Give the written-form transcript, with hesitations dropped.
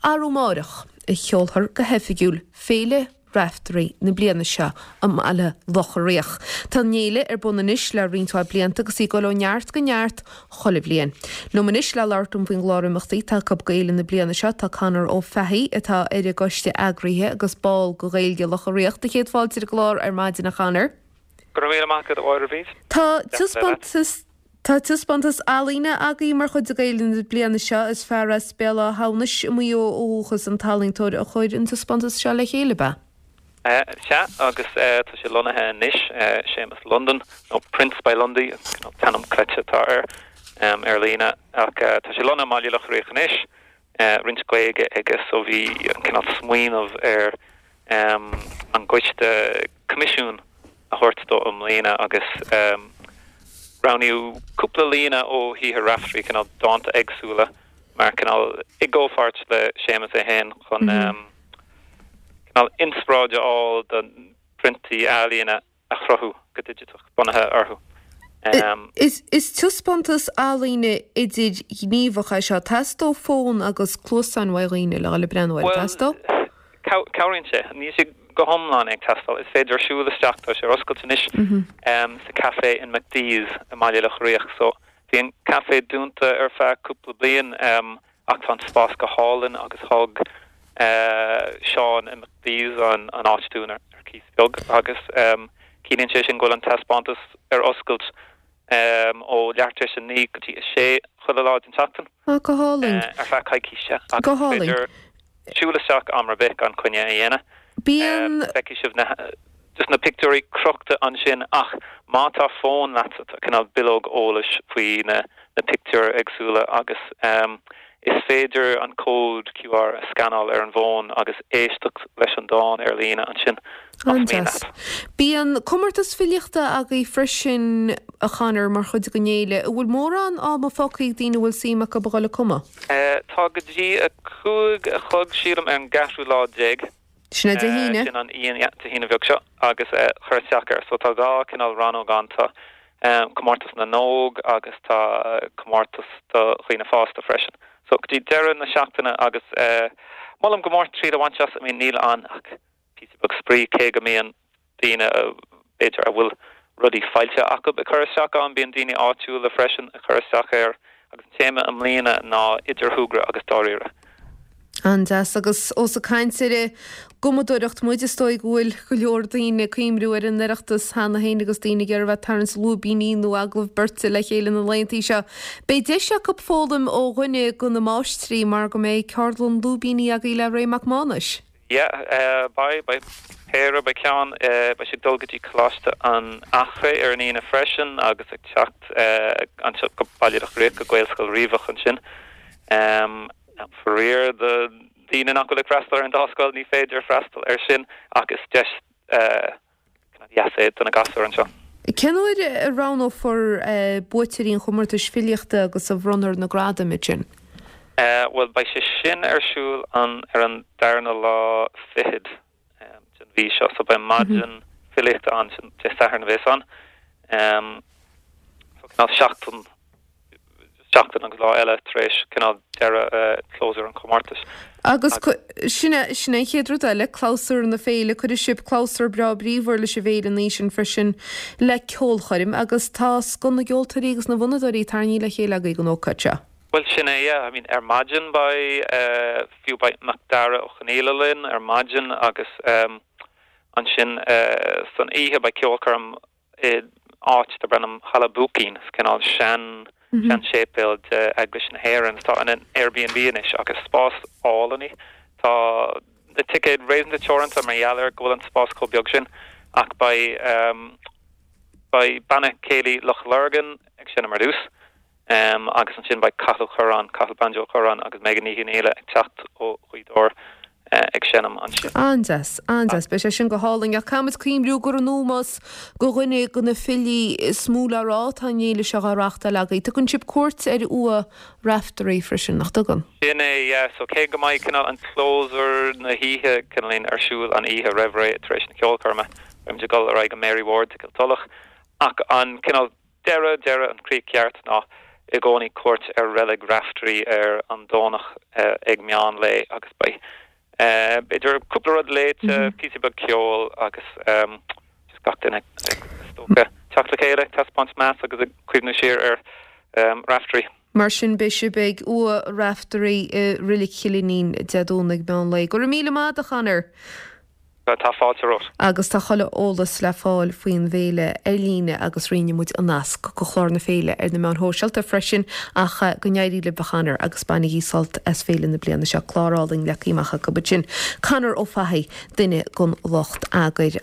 Arú amáireach a sheolfar go hoifigiúil Féile Raiftearaí na bliana seo i mBaile Locha Riach. Tá an fhéile ar bun anois le roinnt mhaith blianta agus í ag dul ó neart go neart chuile bhliain. Liom anois le labhairt liom faoin gclár imeachtaí atá acu d'fhéile na bliana seo tá Conor Ó Fathaigh atá ar an gcoiste eagraithe agus ball de Ghaeilge Locha Riach. Do chéad fáilte ar an gclár ar maidin a Chonor. Go raibh míle maith agat a Mháire Bhríd. Tá taispeántas Tá taispeántas ealaíne agaibh mar chuid de Ghaeilge na bliana seo. Is fear as Béal Átha hAmhnais i Maigh Eo ó dhúchas an t-ealaíontóir a chuir an taispeántas seo le chéile, ab ea? Sea, agus tá sé lonnaithe anois, Séamus London, nó Prints by Lundy, an cineál t-ainm cleite atá air ar líne, ach tá sé lonnaithe i mBaile Locha Riach anois, roinnt Gaeilge aige, so bhí an cineál smaoineamh ar an gcoiste coimisiún a thabhairt dó i mbliana agus roghnaíodh cúpla líne ó shaothar Raftery, cineál dánta éagsúla mar cineál i gcomhpháirt le Séamus é féin chun cineál inspioráid a fháil do priontaí ealaíne a chruthú go digiteach bunaithe orthu. Is taispeántas ealaíne idirghníomhach é seo. Teastóidh fón agus cluasáin uaidh dhaoine le dhul ag breathnú air. Teastóidh? Bhuel, cabhraíonn sé. Níl sé go hiomlán ag teastáil. Is féidir siúl isteach, tá sé ar oscailt anois, sa café in McDee's i mBaile Locha Riach. So, bhí an café dúnta ar feadh cúpla bliain ach tá an spás go hálainn agus thug Seán i McDee's an áit dúinn ar cíos beag agus ciallaíonn sé sin go bhfuil an taispeántas ar oscailt ó leathuair tar éis a 9 go dtí a 6 chuile lá den tseachtain. Ah, go hálainn. Ar feadh coicíse. Go hálainn. Is féidir siúl isteach am ar bith gan coinne a dhéanamh. Bíonn. Feicfidh sibh na, just na pictiúirí crochta ansin ach má tá fón leatsa tá cineál bileog eolais faoi na na pictiúir éagsúla agus is féidir an cód QR a scanáil ar an bhfón agus éisteacht leis an dán ar líne ansin más mian leat. Bíonn comórtas filíochta agaibh freisin, a Chonor, mar chuid den fhéile. An bhfuil mórán ama fágtha ag daoine a bhfuil suim acu a dhul ag cumadh? Tá go dtí 5 a chlog, sílim, ar an gceathrú lá déag. Sin é Dé hAoine. Sin an Aoine, yeah, Dé hAoine bheag seo agus cur isteach air. So tá dhá cineál rannóg ann, tá comórtas na n-óg agus tá comórtas do dhaoine fásta freisin. So go dtí deireadh na seachtaine agus molaim go mór triail a bhaint as, I mean níl ann ach píosa beag spraoi cé go mbíonn daoine, b'fhéidir, a bhfuil rudaí foilsithe acu ag cur isteach ann. Bíonn daoine áitiúla freisin ag cur isteach air agus an téama i mbliana ná idir shúgradh agus dáiríre. An-deas. Agus ós ag caint ar an gcumadóireacht muid, is dóigh go bhfuil go leor daoine ag cuimhniú ar an Oireachtas cheana féin agus daoine ag iarraidh a bheith ag tarraingt lúibíní nó agallamh beirte le chéile na laethanta seo. Beidh deis acu foghlaim ó dhuine de na máistrí mar go mbeidh ceardlann lúibíní agaibh le Ray Mac Mánais. Yeah, beidh, beidh péire, beidh ceann, beidh sé ag dul go dtí Coláiste an Eachréidh ar an Aoine freisin agus ag teacht anseo go Baile Locha Riach go Gaelscoil Riabhach ansin. Faraor do dhaoine nach bhfuil ag freastal ar an dá scoil, ní féidir freastal air sin ach is deis deas é do na gasúir anseo. Cén uair a roghnófar buaiteoirí an chomórtais filíochta agus a bhronnfar na gradaim ansin? Bhuel, beidh sé sin ar siúl an ar an darna lá fichead den mhí seo, so beidh maidin filíochta ann, sin Dé Sathairn a bheas ann. So cineál seachtain seachtain agus lá eile tar éis cineál deireadh clabhsúr an chomórtais. Agus sin é, sin é an chéad rud eile, clabhsúr na féile, cuirfidh sibh clabhsúr breá bríomhar leis an bhféile an oíche sin freisin le ceolchoirm agus tá scoth na gceoltóirí agus na bhfonnadóirí tarraingthe le chéile agaibh don ócáid seo. Bhuel sin é, yeah, I mean ar maidin beidh, fiú beidh Macdara Ó Conaola linn ar maidin agus ansin san oíche beidh ceolchoirm i áit darb ainm Halla Buaicín, is cineál sean, sean-séipéal de Eaglais na hÉireann atá ina Airbnb anois agus spás álainn é. Tá na ticéid réasúnta teoranta mar gheall ar go bhfuil an spás chomh beag sin ach beidh, beidh Banna Céilí Loch Lurgan ag seinm ar dtús. Agus ansin beidh Cathal Ó Curráin, Cathal Banjo Ó Curráin agus Megan Ní Chonghaile ag teacht ó Ghaoth Dobhair ag seinm ansin. An-deas, an-deas. Beidh sé sin go hálainn. Ach caithfimid cuimhniú gur in ómós do dhuine de na filí is mó le rá atá an fhéile seo á reáchtáil agaibh. Tugann sibh cuairt ar uaigh Raiftearaí freisin, nach dtugann? Sin é, yeah. So cé go mbeidh cineál an clabhsúr na hoíche cineáilín ar siúl an oíche roimh ré tar éis na ceolchoirme, beimid ag dul ar aghaidh go Mary Ward's i gCill Tulach. Ach an cineál deireadh, deireadh, an chríoch cheart ná i gcónaí cuairt ar Reilig Raftery ar an Domhnach ag meán lae agus beidh b'fhéidir cúpla rud léite, píosa beag ceoil agus just gach duine is dócha teacht le chéile, ag taispeáint meas agus ag cuimhniú siar ar Raftery. Mar sin beidh sibh ag Uaigh Raftery i Reilig Chill Fhínín Dé Domhnaigh meán lae. Go raibh míle maith agat a Chonor! Tá fáilte romhat. Agus tá chuile eolas le fáil faoin bhféile ar líne agus roinnfidh muid an nasc go chlár na féile ar na meáin shóisialta freisin ach go n-éirí libh a Chonor agus bainigí sult as féile na bliana seo. Clár álainn leagtha amach acu ansin. Conor Ó Fathaigh, duine den lucht eagair.